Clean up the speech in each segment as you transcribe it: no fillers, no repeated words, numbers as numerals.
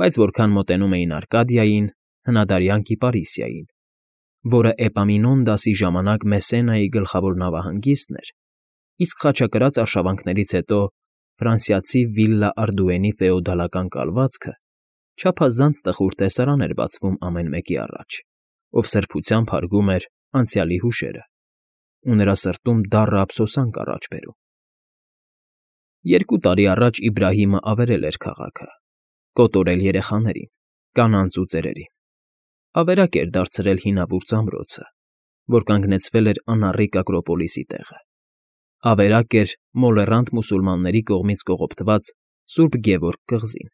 Բայց որքան մոտենում էին Արկադիային, հնադարյան Կիպարիսիային, որը Էպամինոնդասի ժամանակ Մեսենայի գլխավոր նավահանգիստն էր, իսկ խաչակրաց արշավանքներից հետո ֆրանսիացի Վիլլա Արդուենի ֆեոդալական կալվածքը, չափազանց տխուր տեսարան էր բացվում ամեն մեկի առաջ, ով սրբությամբ հարգում էր անցյալի հուշերը, ու նրա սրտում դառը ափսոսանք առաջ բերում։ 2 տարի առաջ Իբրահիմը ավերել էր քաղաքը, կոտորել երեխաներին, կանանց ու ծերերին, ավերակ էր դարձրել հինավուրց ամրոցը, որ կանգնեցվել էր անառիկ Ակրոպոլիսի տեղը, ավերակ էր մոլեռանդ մուսուլմանների կողմից կողոպտված Սուրբ Գևորգ կղզին,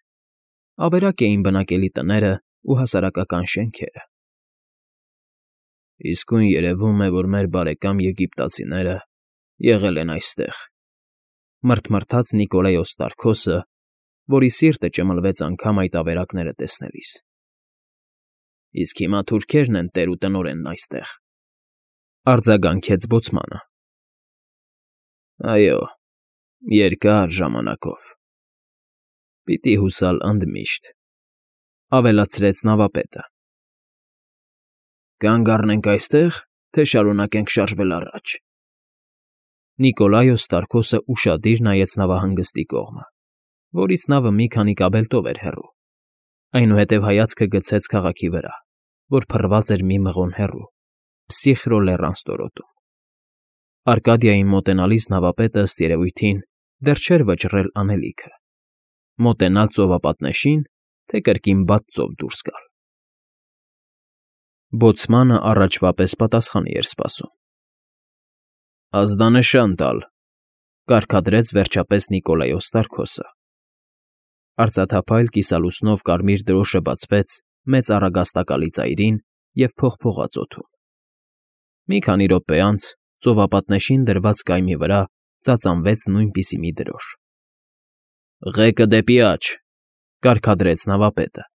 ավերակ էին բնակելի տները ու հասարակական շենքերը։ Իսկույն երևում է, որ մեր բարեկամ եգիպտացիները եղել են այստեղ, մռթմռթաց Նիկոլայոս Տարքոսը, որի սիրտը ճմլվեց անգամ այդ ավերակները տեսնելիս։ Իսկ հիմա թուրքերն են տեր ու տնօրենն այստեղ, արձագանքեց բոցմանը։ Այո, երկար ժամանակով։ Պիտի հուսալ ընդմիշտ, ավելացրեց նավապետը։ Կանգ առնենք այստեղ, թե շարունակենք շարժվել առաջ։ Նիկոլայոս Տարքոսը ուշադիր նայեց նավահանգստի կողմը, որից նավը մի քանի կաբելտով էր հեռու, այնուհետև հայացքը գցեց քաղաքի վրա, որ փռված էր մի մղոն հեռու, Փսիխրո լեռան ստորոտում։ Արկադիային մոտենալիս նավապետը, ըստ երևույթին, դեռ չէր վճռել անելիքը, մոտենալ ծովապատնեշին, թե կրկին բաց ծով դուրս գալ։ Բոցմանը առաջվա պես պատասխանի էր սպասում։ Ազդանշան տալ, կարգադրեց վերջապես Նիկոլայոս Տարքոսը։ Արծաթափայլ կիսալուսնով կարմիր դրոշը բացվեց մեծ առագաստակալի ծայրին և փողփողաց օդում։ Մի քանի րոպե անց ծովապատնեշին դրված կայմի վրա ծածանվեց նույնպիսի մի դրոշ։ Ղեկը դեպի աջ, կարգադրեց նավապետը։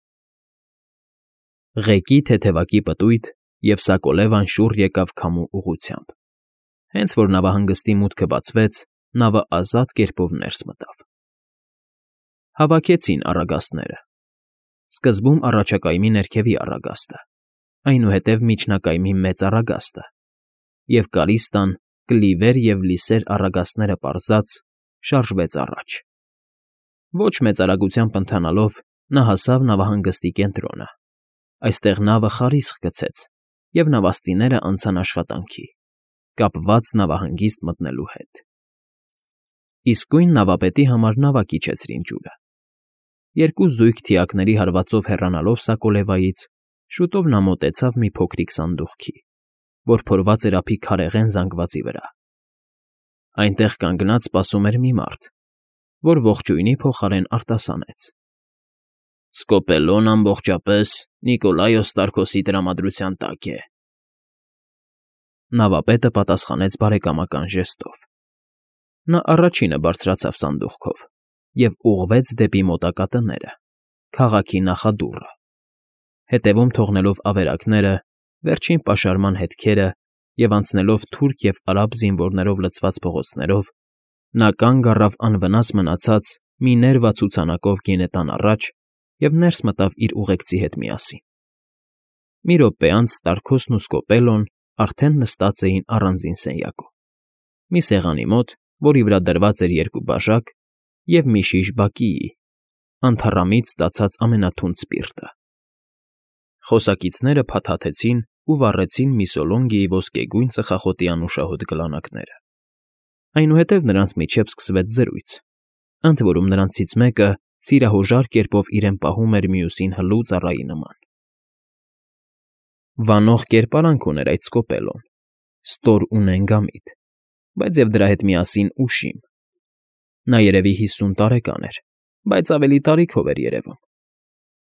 Ղեկի թեթևակի պտույտ և սակոլևան շուռ եկավ քամու ուղղությամբ։ Հենց որ նավահանգստի մուտքը բացվեց, նավը ազատ կերպով ներս մտավ։ Հավաքեցին առագաստները։ Սկզբում առաջակայմի ներքևի առագաստը, այնուհետև միջնակայմի մեծ առագաստը, և Կարիստան, Կլիվեր և Լիսեր առագաստները պարզած շարժվեց առաջ։ Ոչ մեծ արագությամբ ընթանալով նա հասավ նավահանգստի կենտրոնը։ Այստեղ նավը խարիսխ գցեց, և նավաստիները անցան աշխատանքի, կապված նավահանգիստ մտնելու հետ։ Իսկույն նավապետի համար նավակ իջեցրին ջուրը։ 2 զույգ թիակների հարվածով հեռանալով Սակոլևայից, շուտով նա մոտեցավ մի փոքրիկ սանդուղքի, որ փորված էր ափի քարեղեն զանգվածի վրա։ Այնտեղ կանգնած սպասում էր մի մարդ, որ ողջույնի փոխարեն արտասանեց. Սկոպելոն ամբողջապես Նիկոլայոս Տարքոսի տրամադրության տակ է։ Նավապետը պատասխանեց բարեկամական ժեստով։ Նա առաջինը բարձրացավ սանդուղքով և ուղղվեց դեպի մոտակա տները, քաղաքի նախադուռը, հետևում թողնելով ավերակները, վերջին պաշարման հետքերը և անցնելով թուրք և արաբ զինվորներով լցված փողոցներով, նա կանգ առավ անվնաս մնացած մի ներվա ցուցանակով գինետան առաջ և ներս մտավ իր ուղեկցի հետ միասին։ Մի րոպե անց Տարքոսն ու Սկոպելոն արդեն նստած էին առանձին սենյակում, մի սեղանի մոտ, որի վրա դրված էր 2 բաժակ և մի շիշ բակիի, անթառամից ստացած ամենաթունդ սպիրտը։ Խոսակիցները փաթաթեցին ու վառեցին Միսոլոնգիի ոսկեգույն ծխախոտի անուշահոտ գլանակները։ Այնուհետև նրանց միջև սկսվեց զրույց, ընդ որում նրանցից մեկը սիրահոժար կերպով իրեն պահում էր մյուսին հլու ծառայի նման։ Վանող կերպարանք ուներ այդ Սկոպելոն, ստոր ու նենգամիտ, բայց և դրա հետ միասին ուշիմ։ Նա երևի 50 տարեկան էր, բայց ավելի տարիքով էր երևում։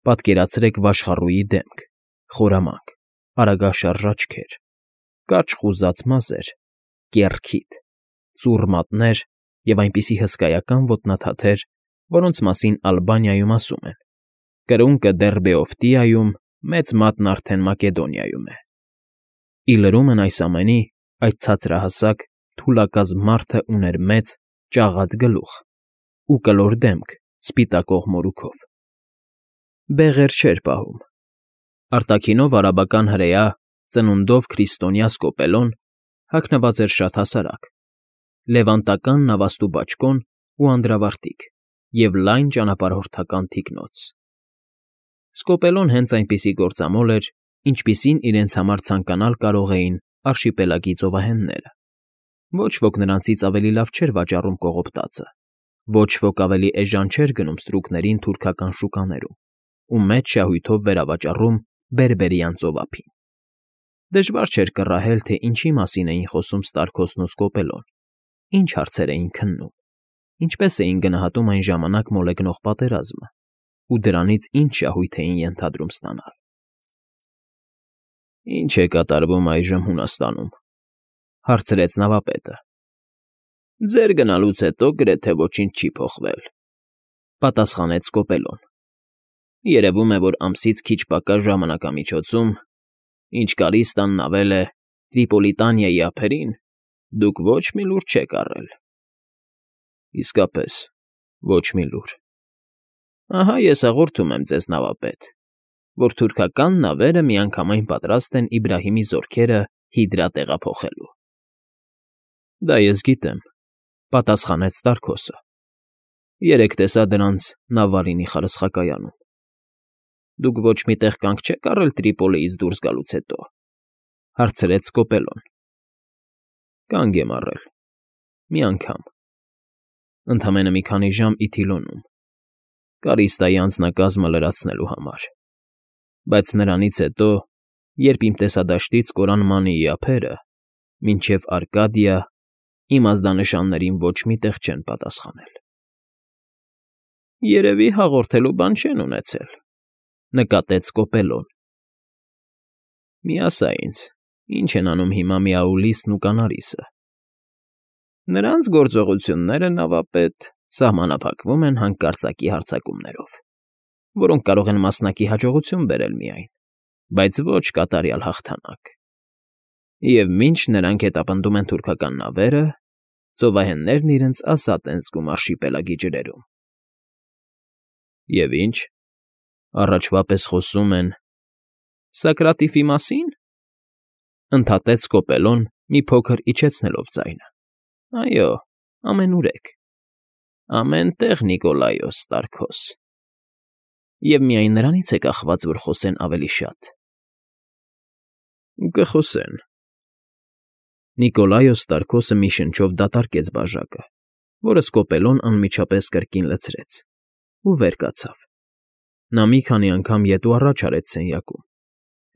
Պատկերացրեք վաշխառուի դեմք, խորամանկ, արագաշարժ աչքեր, կարճ խուզած մազեր, կեռ քիթ, ծուռ մատներ և այնպիսի հսկայական ոտնաթաթեր, որոնց մասին Ալբանիայում ասում են. կրունկը դեռ Բեոֆտիայում, մեծ մատն արդեն Մակեդոնիայում է։ Ի լրումն այս ամենի, այդ ցածրահասակ, թուլակազմ մարդը ուներ մեծ, ճաղատ գլուխ ու կլոր դեմք սպիտակող մորուքով։ բեղեր չէր պահում։ Արտաքինով արաբական հրեա, ծնունդով քրիստոնյա Սկոպելոն հագնված էր շատ հասարակ, լևանտական նավաստու բաճկոն ու անդրավարտիք և լայն ճանապարհորդական թիկնոց։ Սկոպելոն հենց այնպիսի գործամոլ էր, ինչպիսին իրենց համար ցանկանալ կարող էին արշիպելագի ծովահենները։ Ոչ ոք նրանցից ավելի լավ չէր վաճառում կողոպտածը, ոչ ոք ավելի էժան չէր գնում ստրուկներին թուրքական շուկաներում ու մեծ շահույթով վերավաճառում բերբերյան ծովափին։ Դժվար չէր կռահել, թե ինչի մասին էին խոսում Ստարքոսն ու Սկոպելոն, ինչ հարցեր էին քննում, ինչպես էին գնահատում այն ժամանակ մոլեգնող պատերազմը ու դրանից ինչ շահույթ էին ենթադրում ստանալ։ «Ինչ է կատարվում այժմ Հունաստանում,֊ հարցրեց նավապետը։ Ձեր գնալուց հետո գրեթե ոչինչ չի փոխվել,֊ պատասխանեց Սկոպելոն։ Երևում է, որ ամսից քիչ պակաս ժամանակամիջոցում, ինչ Կարիստան նավել է Տրիպոլիտանիայի ափերին, դուք ոչ մի լուր չեք առել։ Իսկապես, ոչ մի լուր։ Ահա ես հաղորդում եմ ձեզ, նավապետ, որ թուրքական նավերը միանգամայն պատրաստ են Իբրահիմի զորքերը Հիդրա տեղափոխելու։ Դա ես գիտեմ,֊ պատասխանեց Ստարքոսը։ Երեկ տեսա դրանց Նավարինի խարսխակայանում։ Դուք ոչ մի տեղ կանգ չեք առել Տրիպոլիից դուրս գալուց հետո,֊ հարցրեց Սկոպելոն։ Կանգ եմ առել, մի անգամ, ընդամենը մի քանի ժամ Իթիլոնում, Կարիստայի անձնակազմը լրացնելու համար, բայց նրանից հետո, երբ իմ տեսադաշտից կորան Մանիի ափերը, մինչև Արկադիա իմ ազդանշաններին ոչ մի տեղ չեն պատասխանել։ Երևի հաղորդելու բան չեն ունեցել,֊ նկատեց Սկոպելոն։ Մի ասա ինձ, ինչ են անում հիմա Միաուլիսն ու Կանարիսը։ Նրանց գործողությունները, նավապետ, սահմանափակվում են հանկարծակի հարձակումներով, որոնք կարող են մասնակի հաջողություն բերել միայն, բայց ոչ կատարյալ հաղթանակ։ Եվ մինչ նրանք հետապնդում են թուրքական նավերը, ծովահեններն իրենց ազատ են զգում արշիպելագի ջրերում։ Եվ ինչ, առաջվա պես խոսում են… Սակրատիֆի մասին,֊ ընդհատեց Սկոպելոն, մի փոքր իջեցնելով ձայնը։ Այո, ամենուրեք, ամեն տեղ, Նիկոլայոս Ստարքոս։ Եվ միայն նրանից է կախված, որ խոսեն ավելի շատ։ Կխոսեն։ Նիկոլայոս Ստարքոսը մի շնչով դատարկեց բաժակը, որը Սկոպելոն անմիջապես կրկին լցրեց, ու վեր կացավ։ Նա մի քանի անգամ ետ ու առաջ արեց սենյակում,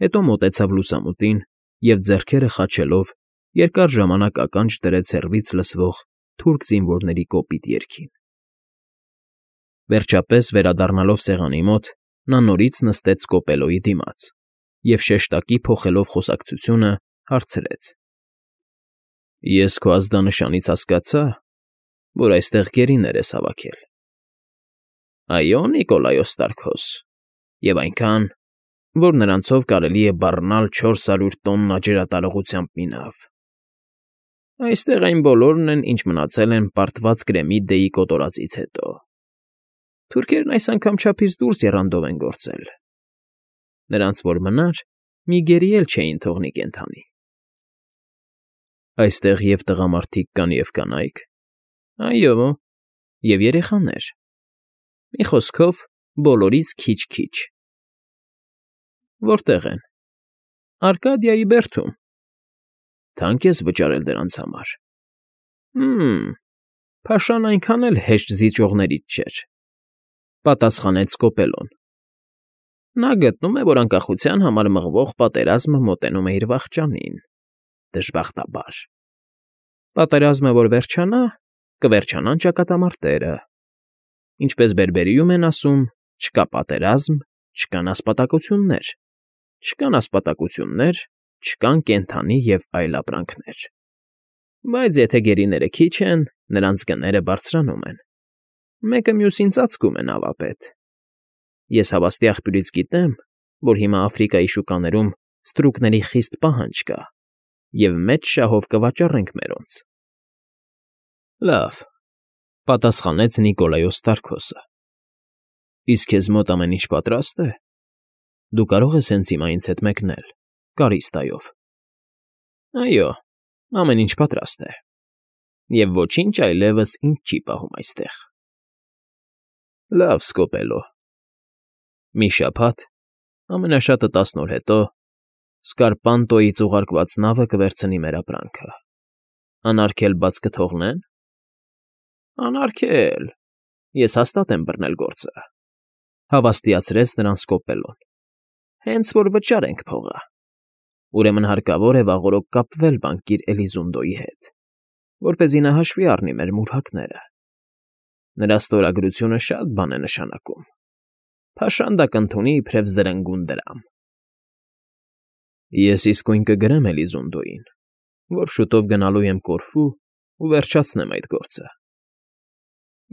հետո մոտեցավ լուսամուտին և, ձեռքերը խաչելով, երկար ժամանակ ականջ դրեց հեռվից լսվող թուրք զինվորների կոպիտ երգին։ Վերջապես, վերադառնալով սեղանի մոտ, նա նորից նստեց Սկոպելոյի դիմաց և, շեշտակի փոխելով խոսակցությունը, հարցրեց. Ես քո ազդանշանից հասկացա, որ այստեղ գերիներ ես հավաքել։ Այո, Նիկոլայոս Ստարքոս, և այնքան, որ նրանցով կարելի է բառնալ 400 տոննա ջրատարողությամբ մի նավ։ Այստեղ այն բոլորն են, ինչ մնացել են պարտված Կրեմի Դեյի կոտորածից հետո։ Թուրքերն այս անգամ չափից դուրս եռանդով են գործել։ Նրանց որ մնար, մի գերի էլ չէին թողնի կենդանի։ Այստեղ և տղամարդիկ կան, և կանայք։ Այո, և երեխաներ։ Մի խոսքով, բոլորից քիչ֊քիչ։ Որտե՞ղ են։ Արկադիայի բերդում։ Թանկ ես վճարել դրանց համար։ Փաշան այնքան էլ հեշտ զիջողներից չէր,֊ պատասխանեց Սկոպելոն։ Նա գտնում է, որ անկախության համար մղվող պատերազմը մոտենում է իր վախճանին, դժբախտաբար։ Պատերազմը որ վերջանա, կվերջանան ճակատամարտերը։ Ինչպես բերբերիում են ասում, չկա պատերազմ, չկան ասպատակություններ, չկան ասպատակություններ, չկան կենդանի և այլ ապրանքներ։ Բայց եթե գերիները քիչ են, նրանց գները բարձրանում են։ Մեկը մյուսին ծածկում է, նավապետ։ Ես հավաստի աղբյուրից գիտեմ, որ հիմա Աֆրիկայի շուկաներում ստրուկների խիստ պահանջ կա, և մեծ շահով կվաճառենք մերոնց։ Լավ,֊ պատասխանեց Նիկոլայոս Ստարքոսը։ Իսկ քեզ մոտ ամեն ինչ պատրաստ է։ Դու կարող ես հենց հիմա ինձ հետ մեկնել, Կարիստայով։ Այո, ամեն ինչ պատրաստ է։ Եվ ոչինչ այլևս ինձ չի պահում այստեղ։ Լավ, Սկոպելո։ Մի շաբաթ, ամենաշատը 10 օր հետո, Սկարպանտոյից ուղարկված նավը կվերցնի մեր ապրանքը։ Անարգել բաց կթողնեն։ Անարգել։ Ես հաստատ եմ բռնել գործը, հավաստիացրեց նրան Սկոպելոն։ Հենց որ վճար ենք փողը։ Ուրեմն հարկավոր է վաղօրոք կապվել բանկիր Էլիզունդոյի հետ, որպեսզի նա հաշվի առնի մեր մուրհակները։ Նրա ստորագրությունը շատ բան է նշանակում։ Փաշանդը կընդունի իբրև զրնգուն դրամ։ Ես իսկույն կգրեմ Էլիզունդոյին, որ շուտով գնալու եմ Կորֆու ու վերջացնեմ այդ գործը։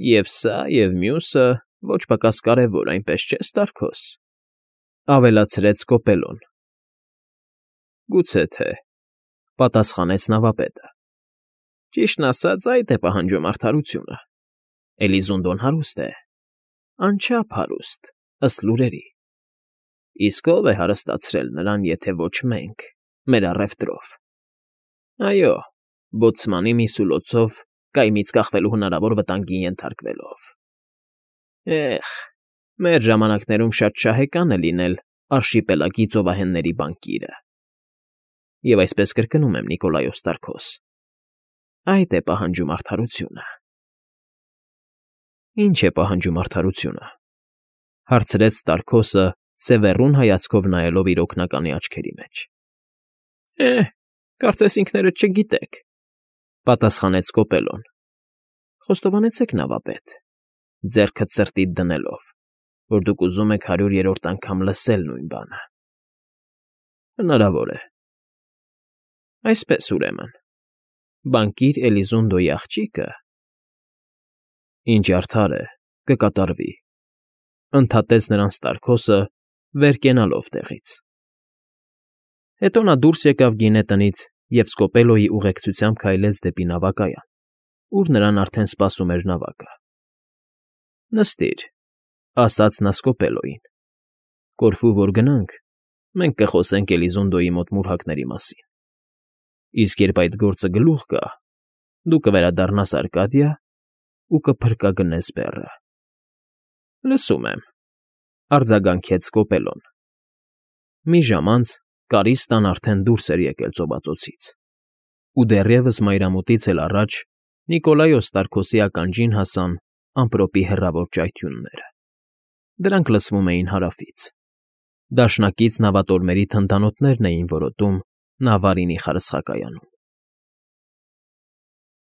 Եվ սա, և մյուսը ոչ պակաս կարևոր, այնպես չէ, Ստարքոս,֊ ավելացրեց Սկոպելոն։ Գուցե թե,֊ պատասխանեց նավապետը։ Ճիշտն ասած, այդ է պահանջում արդարությունը։ Էլիզունդոն հարուստ է, անչափ հարուստ, ըստ լուրերի։ Իսկ ո՞վ է հարստացրել նրան, եթե ոչ մենք, մեր առևտրով։ Այո, բոցմանի միսուլոցով կայմից կախվելու հնարավոր վտանգի ենթարկվելով։ Էհ, մեր ժամանակներում շատ շահեկան է լինել արշիպելագի ծովահենների բանկիրը։ Եվ այսպես կրկնում եմ, Նիկոլայոս Ստարքոս, այդ է պահանջում արդարությունը։ Ինչ է պահանջում արդարությունը,֊ հարցրեց Ստարքոսը, սևեռուն հայացքով նայելով իր օգնականի աչքերի մեջ։ Կարծես ինքներդ չգիտեք,֊ պատասխանեց Սկոպելոն։ Խոստովանեցեք, նավապետ, ձեռքդ սրտիդ դնելով, որ դուք ուզում եք 100-րդ անգամ լսել նույն բանը։ Հնարավոր է։ Այսպես, ուրեմն, բանկիր Էլիզունդոյի աղջիկը… Ինչ արդար է, կկատարվի,֊ ընդհատեց նրան Ստարքոսը, վեր կենալով տեղից։ Հետո նա դուրս եկավ գինե տնից և Սկոպելոյի ուղեկցությամբ քայլեց դեպի նավակայան, ուր նրան արդեն սպասում էր նավակը։ Նստիր,֊ ասաց նա Սկոպելոյին։ Կորֆու որ գնանք, մենք կխոսենք Էլիզունդոյի մոտ մուրհակների մասին։ Իսկ երբ այդ գործը գլուխ գա, դու կվերադառնաս Արկադիա ու կփրկագնես բեռը։ Լսում եմ,֊ արձագանքեց Սկոպելոն։ Մի ժամ անց Կարիստան արդեն դուրս էր եկել ծովածոցից, ու դեռևս մայրամուտից էլ առաջ Նիկոլայոս Ստարքոսի ականջին հասան ամպրոպի հեռավոր ճայթյունները։ Դրանք լսվում էին հարավից։ Դաշնակից նավատորմերի թնդանոթներն էին որոտում Նավարինի խարսխակայանում։